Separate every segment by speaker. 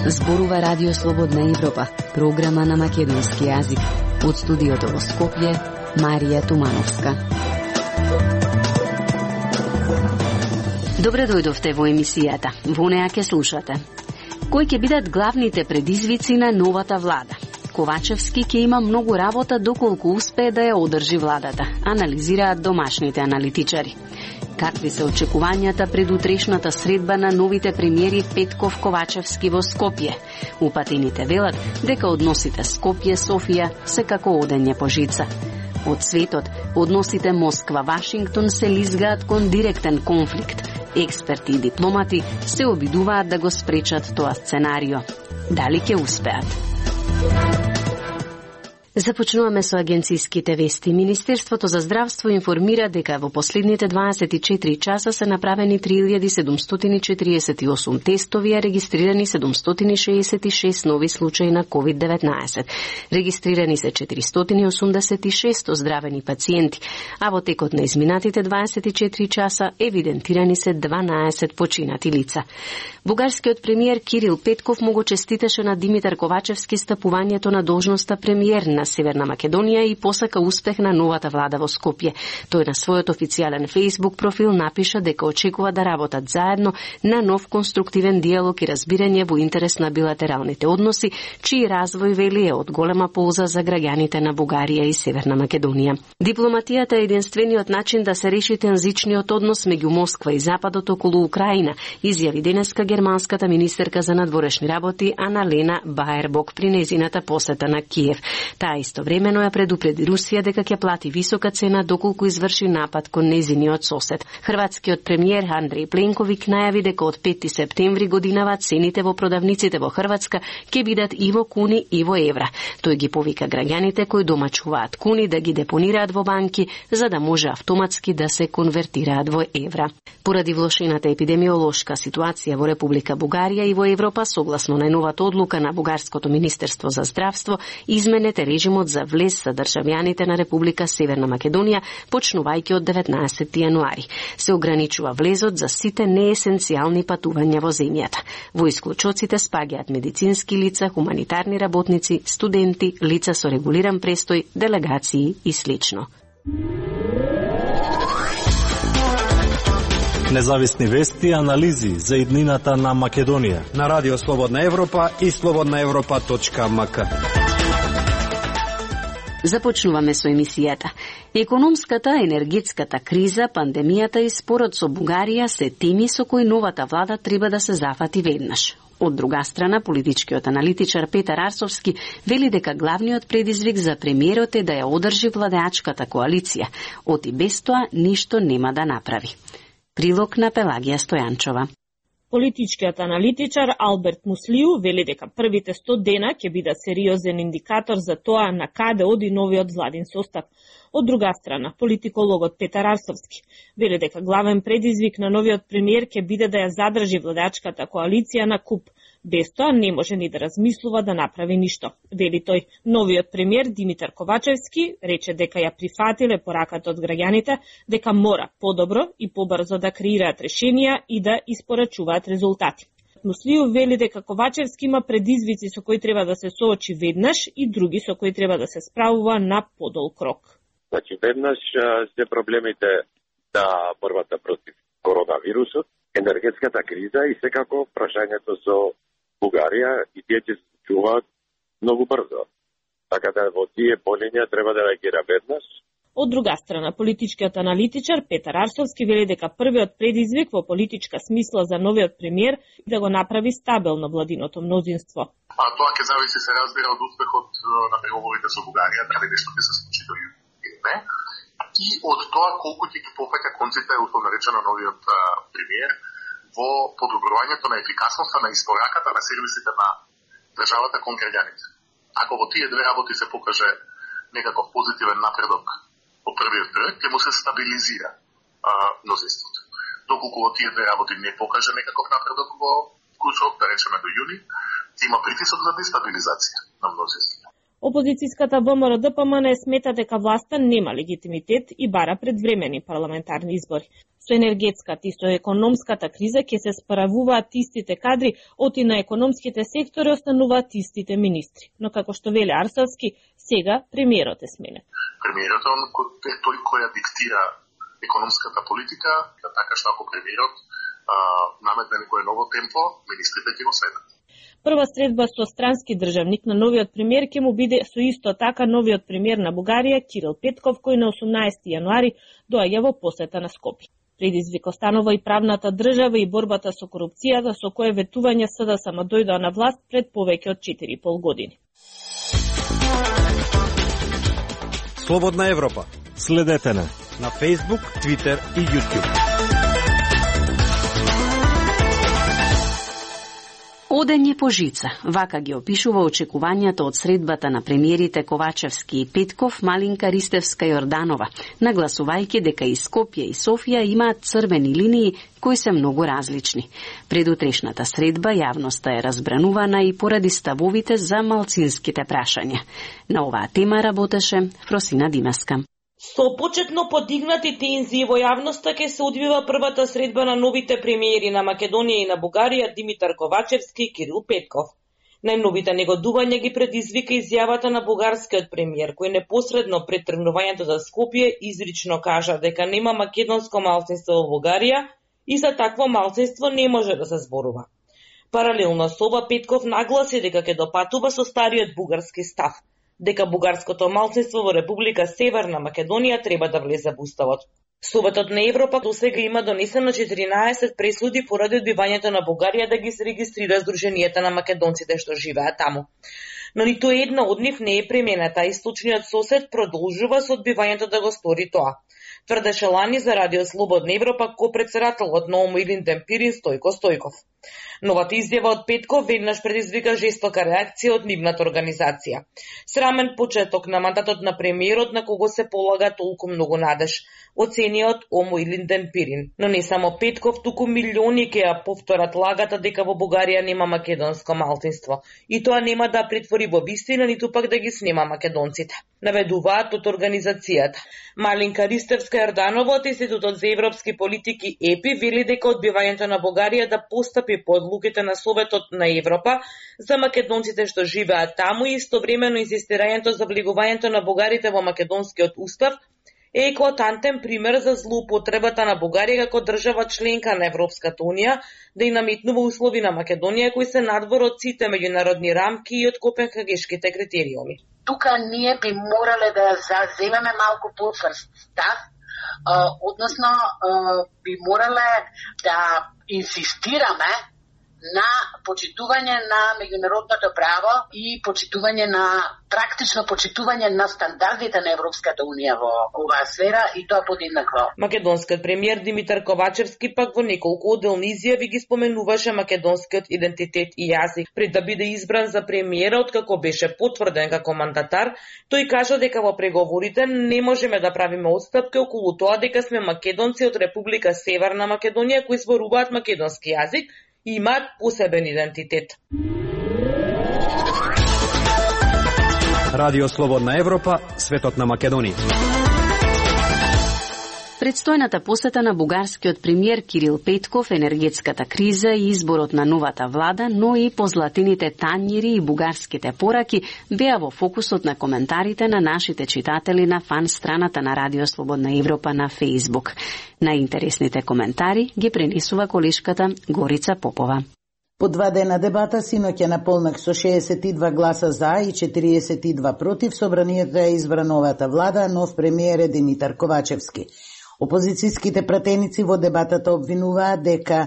Speaker 1: Зборува Радио Слободна Европа, програма на македонски јазик. Од студиото во Скопје, Марија Тумановска. Добре дојдовте во емисијата. Во неа ќе слушате. Кои ќе бидат главните предизвици на новата влада? Ковачевски ќе има многу работа доколку успее да ја одржи владата, анализираат домашните аналитичари. Какви се очекувањата пред утрешната средба на новите премиери Петков Ковачевски во Скопје? Упатените велат дека односите Скопје-Софија се како одење по жица. Од светот, односите Москва-Вашингтон се лизгаат кон директен конфликт. Експерти и дипломати се обидуваат да го спречат тоа сценарио. Дали ќе успеат? Започнуваме со агенцијските вести. Министерството за здравство информира дека во последните 24 часа се направени 3748 тестови, а регистрирани 766 нови случаи на COVID-19. Регистрирани се 486 оздравени пациенти, а во текот на изминатите 24 часа евидентирани се 12 починати лица. Бугарскиот премиер Кирил Петков му го честитеше на Димитар Ковачевски стапувањето на должноста премиер на Северна Македонија и посака успех на новата влада во Скопје. Тој на својот официјален Facebook профил напиша дека очекува да работат заедно на нов конструктивен диалог и разбирање во интерес на билатералните односи, чиј развој, вели, е од голема полза за граѓаните на Бугарија и Северна Македонија. Дипломатијата е единствениот начин да се реши тензичниот однос меѓу Москва и Западот околу Украина, изјави денеска германската министерка за надворешни работи Аналена Баербок при нејзината посета на Киев. Таа истовремено ја предупреди Русија дека ќе плати висока цена доколку изврши напад кон нејзиниот сосед. Хрватскиот премиер Андреј Пленковик најави дека од 5 септември годинава цените во продавниците во Хрватска ќе бидат и во куни и во евра. Тој ги повика граѓаните кои домачуваат куни да ги депонираат во банки за да може автоматски да се конвертираат во евра. Поради влошената епидемиолошка ситуација во Република Бугарија и во Европа, согласно најновата одлука на Бугарското министерство за здравство, изменете режимот за влез за државјаните на Република Северна Македонија, почнувајќи од 19 јануари. Се ограничува влезот за сите неесенцијални патувања во земјата. Во исклучоците спаѓаат медицински лица, хуманитарни работници, студенти, лица со регулиран престој, делегации и слично.
Speaker 2: Независни вести и анализи за иднината на Македонија
Speaker 3: на Радио Слободна Европа и slobodnaevropa.mk.
Speaker 1: Започнуваме со емисијата. Економската, енергетската криза, пандемијата и спорот со Бугарија се теми со кои новата влада треба да се зафати веднаш. Од друга страна, политичкиот аналитичар Петар Арсовски вели дека главниот предизвик за премиерот е да ја одржи владеачката коалиција. Од и без тоа ништо нема да направи. Прилог на Пелагија Стојанчова.
Speaker 4: Политичкиот аналитичар Алберт Муслиу вели дека првите 100 дена ќе бидат сериозен индикатор за тоа на каде оди новиот владин состав. Од друга страна, политикологот Петар Арсовски вели дека главен предизвик на новиот премиер ќе биде да ја задржи владачката коалиција на куп. Без тоа не може ни да размислува да направи ништо. Вели тој, новиот премиер Димитар Ковачевски рече дека ја прифатиле пораката од граѓаните, дека мора подобро и побрзо да креираат решенија и да испорачуваат резултати. Муслиу вели дека Ковачевски има предизвици со кои треба да се соочи веднаш и други со кои треба да се справува на подол крок.
Speaker 5: Значи, веднаш се проблемите на борбата против коронавирусот, енергетската криза и секако прашањето со Бугарија и тие ќе се случуваат многу брзо. Така да во тие полиња треба да реагира веднаш.
Speaker 4: Од друга страна, политичкиот аналитичар Петар Арсовски вели дека првиот предизвик во политичка смисла за новиот премиер да го направи стабилно владиното мнозинство.
Speaker 6: Тоа ќе зависи, се разбира, од успехот на преговорите со Бугарија, дали нешто ќе се случи до јуни или не, и од тоа колку ќе ги пофаќа конците, условно речено, новиот премиер во подобрувањето на ефикасноста на испораката на сервисите на државата кон граѓаните. Ако во тие две работи се покаже некаков позитивен напредок по првиот проект, ќе му се стабилизира мнозинството. Доколку во тие две работи не покаже некаков напредок во кусок, да речеме до јуни, има притисок за дестабилизација на мнозинството.
Speaker 4: Опозицијската ВМРО-ДПМН смета дека власта нема легитимитет и бара предвремени парламентарни избори. Со енергетската и со економската криза ќе се справуваат истите кадри, оти на економските сектори остануваат истите министри. Но како што веле Арсовски, сега премиерот е сменет.
Speaker 6: Премиерот е тој кој ја диктира економската политика, така што ако премиерот наметне некое ново темпо, министрите ќе го следат.
Speaker 4: Прва средба со странски државник на новиот премиер ќе му биде со исто така новиот премиер на Бугарија Кирил Петков, кој на 18 јануари доаѓа во посета на Скопје. Предизвик останува и правната држава и борбата со корупцијата, со кое ветување СДСМ дојдоа на власт пред повеќе од 4,5 години.
Speaker 3: Слободна Европа.
Speaker 2: Следете на
Speaker 3: Facebook, Twitter и YouTube.
Speaker 1: Одење по жица, вака ги опишува очекувањата од средбата на премиерите Ковачевски и Петков, Малинка Ристевска и Орданова, нагласувајќи дека и Скопје и Софија имаат црвени линии кои се многу различни. Пред утрешната средба јавноста е разбранувана и поради ставовите за малцинските прашања. На оваа тема работеше Фросина Димаска.
Speaker 7: Со почетно подигнати тензии во јавноста ќе се одвива првата средба на новите премиери на Македонија и на Бугарија Димитар Ковачевски и Кирил Петков. Најновите негодување ги предизвика изјавата на бугарскиот премиер, кој непосредно пред тргнувањето за Скопје изрично кажа дека нема македонско малцинство во Бугарија и за такво малцинство не може да се зборува. Паралелно со ова Петков нагласи дека ќе допатува со стариот бугарски став, дека бугарското малцинство во Република Северна Македонија треба да влезе во уставот. Советот на Европа досега има донесено 14 пресуди поради одбивањето на Бугарија да ги се регистрира Сдруженијата на македонците што живеат таму. Но ниту една од нив не е применета и источниот сосед продолжува со одбивањето да го стори тоа. Тврдеше лани за Радио Слободна Европа ко-председателот на ОМО Илинден Пирин Стојко Стојков. Новата изјава од Петков веднаш предизвика жестока реакција од нивната организација. Срамен почеток на мандатот на премиерот на кого се полага толку многу надеж, оцениот ОМО Илинден Пирин. Но не само Петков, туку милиони ќе ја повторат лагата дека во Бугарија нема македонско малцинство. И тоа нема да претвори во вистина, ниту пак да ги снема македонците. Наведуваат од организацијата. Малинка Ристевска Јорданова од Институтот за европски политики ЕПИ вели дека одбивањето на Бугарија да постапи по одлуките на Советот на Европа за македонците што живеат таму и истовремено инсистирањето за влегувањето на бугарите во македонскиот устав е еклатантен пример за злоупотребата на Бугарија како држава членка на Европската унија да и наметнува услови на Македонија кои се надвор од сите меѓународни рамки и од копенхагешките критериуми.
Speaker 8: Тука ние би морале да заземеме малку потврст став, односно би морале да инсистираме на почитување на меѓународното право и почитување на практично почитување на стандардите на Европската унија во оваа сфера и тоа подеднакво.
Speaker 7: Македонскиот премиер Димитар Ковачевски пак во неколку отделни изјави ги споменуваше македонскиот идентитет и јазик. Пред да биде избран за премиера, откако беше потврден како мандатар, тој кажа дека во преговорите не можеме да правиме отстапки околу тоа дека сме македонци од Република Северна Македонија кои зборуваат македонски јазик и имаат посебен идентитет.
Speaker 3: Радио Слободна Европа, светот на Македонија.
Speaker 1: Предстојната посета на бугарскиот премиер Кирил Петков, енергетската криза и изборот на новата влада, но и позлатените тањири и бугарските пораки беа во фокусот на коментарите на нашите читатели на фан страната на Радио Слободна Европа на Facebook. Најинтересните коментари ги пренесува колешката Горица Попова.
Speaker 9: По 2 дена дебата синоќа наполнак со 62 гласа за и 42 против, собранието е избра новата влада, нов премиер е Димитар Ковачевски. Опозицијските пратеници во дебатата обвинуваат дека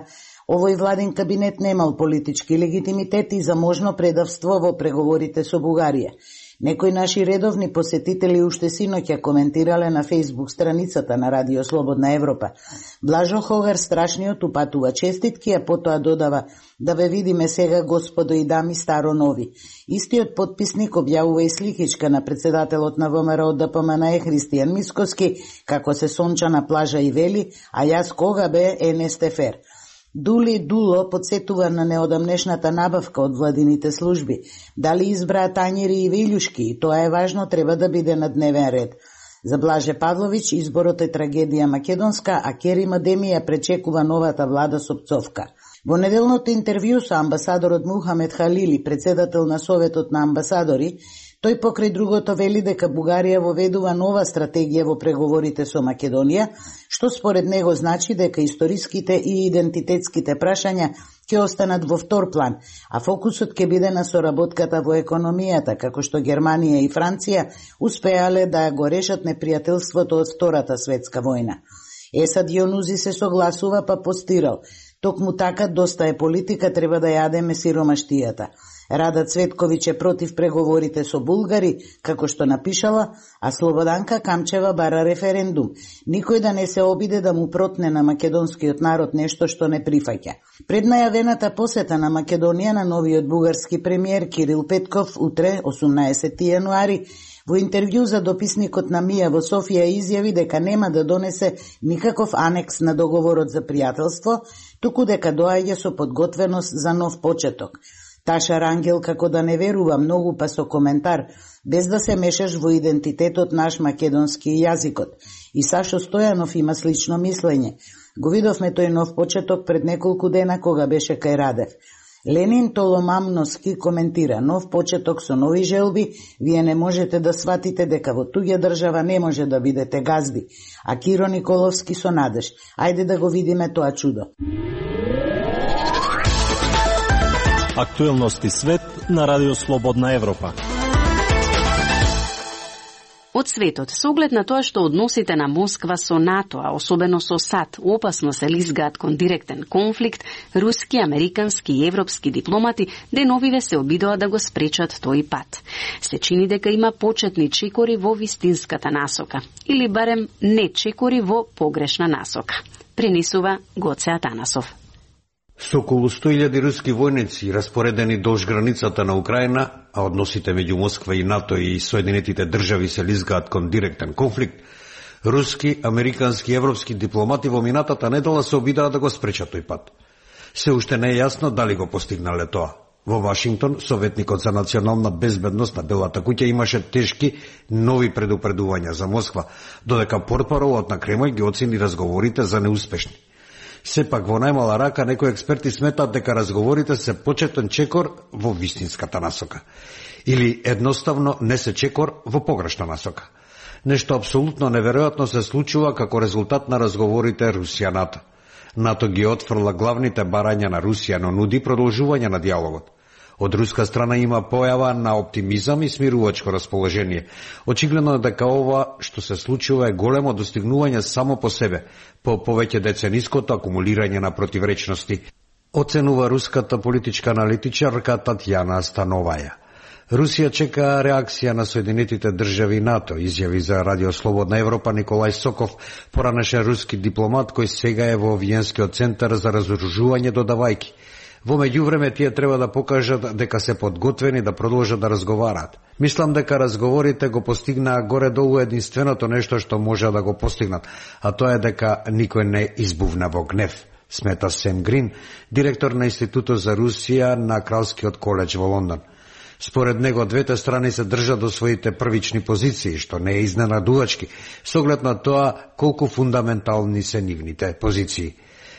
Speaker 9: овој владин кабинет немал политички легитимитет и за можно предавство во преговорите со Бугарија. Некои наши редовни посетители уште синоќа коментирале на Facebook страницата на Радио Слободна Европа. Блажо Хогар страшниот упатува честитки, а потоа додава: да ве видиме сега, господо и дами, старо нови. Истиот потписник објавува и сликичка на председателот на ВМРО ДПМН Христијан Мисковски, како се сонча на плажа и вели: а јас кога бе НСТФР. Дули Дуло подсетува на неодамнешната набавка од владините служби. Дали избраа тањери и вилјушки, и тоа е важно, треба да биде на дневен ред. За Блаже Павлович изборот е трагедија македонска, а Керим Адемија пречекува новата влада со пцовка. Во неделното интервју со амбасадорот Мухамед Халили, председател на Советот на амбасадори, тој покрај другото вели дека Бугарија воведува нова стратегија во преговорите со Македонија, што според него значи дека историските и идентитетските прашања ќе останат во втор план, а фокусот ќе биде на соработката во економијата, како што Германија и Франција успеале да го решат непријателството од Втората светска војна. Есад Јонузи се согласува, па постирал: токму така доста е политика, треба да јадеме сиромаштијата. Рада Цветковиќ е против преговорите со булгари, како што напишала, а Слободанка Камчева бара референдум. Никој да не се обиде да му протне на македонскиот народ нешто што не прифаќа. Пред најавената посета на Македонија на новиот бугарски премиер Кирил Петков утре, 18 јануари, во интервју за дописникот на Мија во Софија изјави дека нема да донесе никаков анекс на договорот за пријателство, туку дека доаѓа со подготвеност за нов почеток. Таша Рангел како да не верува многу, па со коментар: без да се мешаш во идентитетот наш македонски јазикот. И Сашо Стојанов има слично мислење. Го видовме тој нов почеток пред неколку дена кога беше кај Радев. Ленин Толомамноски коментира: нов почеток со нови желби, вие не можете да сватите дека во туѓа држава не може да бидете газди. А Киро Николовски со надеж: ајде да го видиме тоа чудо.
Speaker 2: Актуелности свет на Радио Слободна Европа.
Speaker 1: Од светот, со оглед на тоа што односите на Москва со НАТО, а особено со САД, опасно се лизгаат кон директен конфликт, руски, американски и европски дипломати деновиве се обидоа да го спречат тој пат. Се чини дека има почетни чекори во вистинската насока, или барем не чекори во погрешна насока. Пренесува Гоце Атанасов.
Speaker 3: Со околу 100.000 руски војници распоредени долж границата на Украина, а односите меѓу Москва и НАТО и Соединетите држави се лизгаат кон директен конфликт, руски, американски и европски дипломати во минатата недела се обидаа да го спречат тој пат. Се уште не е јасно дали го постигнале тоа. Во Вашингтон, советникот за национална безбедност на Белата куќа имаше тешки нови предупредувања за Москва, додека портпаролот на Кремљ ги оцени разговорите за неуспешни. Сепак во најмала рака некои експерти сметаат дека разговорите се почетен чекор во вистинската насока. Или едноставно не се чекор во погрешна насока. Нешто апсолутно неверојатно се случува како резултат на разговорите Русија-НАТО. НАТО ги отфрла главните барања на Русија, но нуди продолжување на диалогот. Од руска страна има појава на оптимизам и смирувачко расположение. Очигледно е дека ова што се случува е големо достигнување само по себе, по повеќе децениското акумулирање на противречности, оценува руската политичка аналитичарка Татјана Становаја. Русија чека реакција на Соединетите држави НАТО, изјави за Радио Слободна Европа Николај Соков, поранешен руски дипломат кој сега е во Виенскиот центар за разоружување додавајки. Во меѓувреме тие треба да покажат дека се подготвени да продолжат да разговараат. Мислам дека разговорите го постигнаа горе-долу единственото нешто што може да го постигнат, а тоа е дека никој не избувна во гнев, смета Сем Грин, директор на Институтот за Русија на Кралскиот коледж во Лондон. Според него, двете страни се држат до своите првични позиции, што не е изненадувачки, со оглед на тоа колку фундаментални се нивните позиции.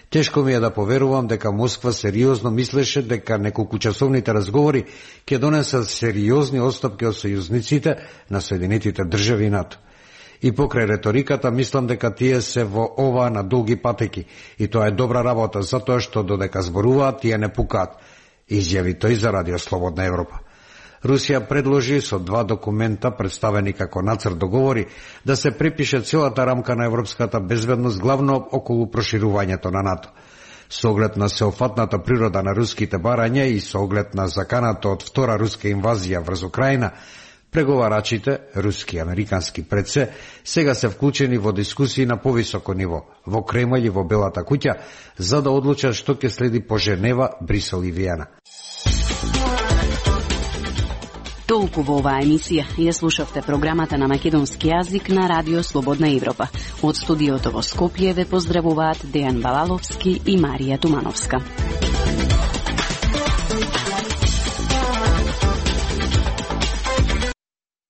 Speaker 3: Тешко ми е да поверувам дека Москва сериозно мислеше дека неколкучасовните разговори ќе донесат сериозни отстапки од сојузниците на Соединетите држави и НАТО. И покрај реториката, мислам дека тие се во ова на долги патеки, и тоа е добра работа, затоа што додека зборуваат, тие не пукаат, изјави тој за Радио Слободна Европа. Русија предложи со два документа, представени како нацрт договори, да се препише целата рамка на европската безбедност, главно околу проширувањето на НАТО. Со оглед на сеофатната природа на руските барања и со оглед на заканата од втора руска инвазија врз Украина, преговарачите, руски и американски пред се, сега се вклучени во дискусии на повисоко ниво, во Кремљ и во Белата куќа, за да одлучат што ќе следи по Женева, Брисел и Виена.
Speaker 10: Толку во оваа емисија. Ја слушавте програмата на македонски јазик на Радио Слободна Европа. Од студиото во Скопје ве поздравуваат Дејан Балаловски и Марија Тумановска.